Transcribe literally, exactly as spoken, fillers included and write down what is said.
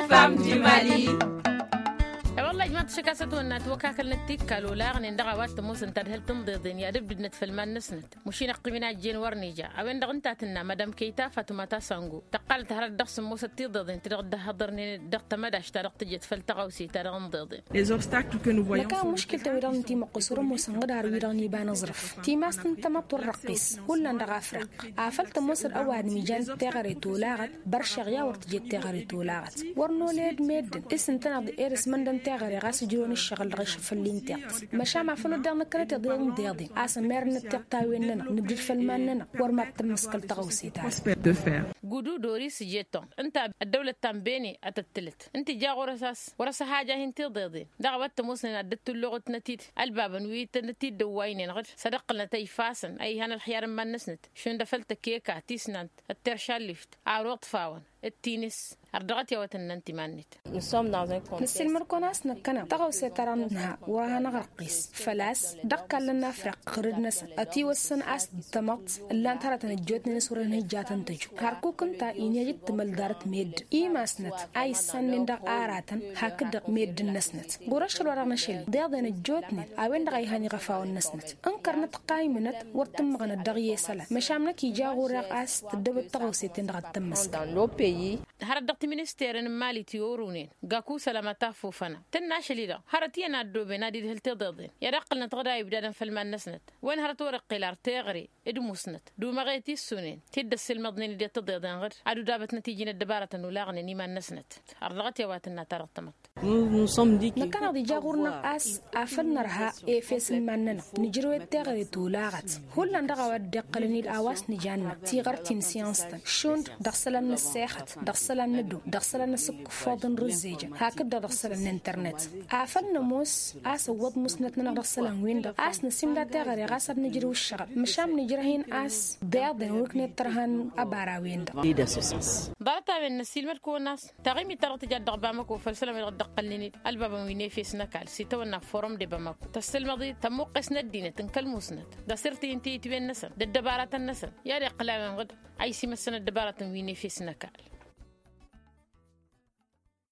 Fam di mali. E-wălla ijmaḍ-t ašăk a-s ătwănna ătwăkakălnăt tikkal olaɣnen dăɣ-a-wa t-ămoosăn tadhǝlt n-iḍeḍen i-ad-ǝbdǝdnăt făll-iman-năsnăt. Mušin ăqqimăn a ijjen wăr n-ija a-wen-dăɣ ǝnta a tǝnna madam kăyta fatuma ta sango tăqqalăt hărăt dăɣ-sǝmmosăt tiḍeḍen ti-dăɣ dd-ăhhăḍărnen dăɣ-tămădašt ta dăɣ-tǝjjăt făll-tăɣawse ta dăɣ-inḍeḍen. Năkk a muškǝltăn wi-dăɣ n-timăqqes wăr-ămoosăn ɣǝd har wi-dăɣ n-iba n-aẓrǝf. Timas n-tamăḍt wăr răqqis hullan dăɣ-afraq afăl tămoosăd ăwadǝm ijan teɣăre tolaɣăt. Băršeɣ i-a wăr tǝjet teɣăre tolaɣăt wăr noled meddǝn s-ǝntăneḍ ed ăsmăndăn teɣăre ɣas ǝjrăwăn ǝššăɣǝl dăɣ-ašăl făll-inteḍt. Măšan afăl wăr dăɣ-năkkănăt iḍeḍ n-deḍen a-s ămerrănăt tiɣtawen-nănăɣ nǝbdǝd făll-iman-nănăɣ wăr mad-tămmăskăl tăɣawse-ta-dăɣ. Gudu doris jeton ǝnta ăddăwlăt ta n-bene a tăt-tǝlăt ǝnta ija ɣur-s a-s wăr-ăsăhaja hin-tiḍeḍen dăɣ-a-wa t-ămoosnen ad-dd-tulluɣǝtnăt-i ălbabăn wi tănăt-dd-ăwwaynen ɣǝd s-ad-ǝqqǝlnăt ăyfasăn a ihan ălxiyar n-iman-năsnăt šund afăl tăkeka tisnant ătteršallift ar uḍfawăn d-tinǝs. Ărdăɣăt i-a-wa tǝnnăn timan-net. Nǝssilmăr-kăwăn a-s năkkăneḍ tăɣawse-ta-dăɣ nǝnha wăr-hanăɣ-răqqis făl-a-s dăɣ-kallăn n-afriq ɣǝrǝd-năsăn ătiwăssăn a-s d-tamăḍt ǝllan-t hărătăn ăjjootnen s-wăr-ănhǝjjatăn tăju hărkuk ǝnta inhăj d-timăldarăt meddǝn imasnăt a issannen dăɣ-aratăn hakd-dăɣ meddǝn-năsnăt. Ɣur-ašăl wa dăɣ-năšăl-i deḍen ăjjootnen a-wen-dăɣ a ihan iɣăfawăn-năsnăt ǝnkărnăt ăqqaymǝnăt wăr tǝmmăɣnăt dăɣ-i isălan măšan năkk ija ɣur-e a-s tǝddăbăt tăɣawse-ten-dăɣ ad-tămmăskăl. Hărăt dăɣ-tiministeren n-mali ti orunen gaku sălama taffufăna tǝnna ašăl-i-dăɣ hărăt iyyăn a ăddooben ad-idhǝl tiḍeḍen i-ad-ăqqǝlnăt ɣǝd a ibdadăn făll-iman-năsnăt. Wen hărăt wăr-iqqel ar teɣăre d-musnăt d-umăɣe tissunen ti dd-ăssilmăḍnen-dd i-tiḍeḍen ɣǝd ad-udabătnăt iji n-ăddăbarătăn ulaɣnen iman-năsnăt. Ărdăɣăt i-a-wa tǝnna ta dăɣ-tamăḍt. Năkkăneḍ ija ɣur-năɣ a-s afăl nărha efes n-iman-nănăɣ nǝjrăw-dd teɣăre tolaɣăt. Hullan dăɣ-a-wa dd-iqqălăn-dd a-wa s-nǝjanna tiɣărt ti n-syăns-tăn šund dăɣ-isălan n-ăssexăt dăɣ-isălan n-ăddob dăɣ-isălan-năsăn kǝffoḍ n-rǝzzejăn hakd-dăɣ dăɣ-isălan n-internet. Afăl nămoos a-s ăwwăḍ musnăt-nănăɣ dăɣ-isălan-win-dăɣ a-s năsimda teɣăre ɣas ad-nǝjrǝw ǝššăɣǝl măšan nǝjrăh-in a-s deḍen wăr ǝknet tărha n-ăbara-wen-dăɣ. Ḍarăt-a-wen năssiilmăd-kăwăn a-s taɣimit ta dăɣ-tǝjat dăɣ-bamăko făll-isălan-wi-dăɣ dd-ăqqălnen-dd ălbabăn wi n-efes n-ăkall s-itawănna forum de bamăko tăssǝlmăḍ-dd tămmuqqes n-ăddinăt n-kăl-musnăt d-asǝrt i-intǝyǝtwen-năsăn d-ăddăbaratăn-năsăn i-ad-iqqǝl a-wen ɣǝd a isimăssăn ăddăbaratăn wi n-efes n-ăkall.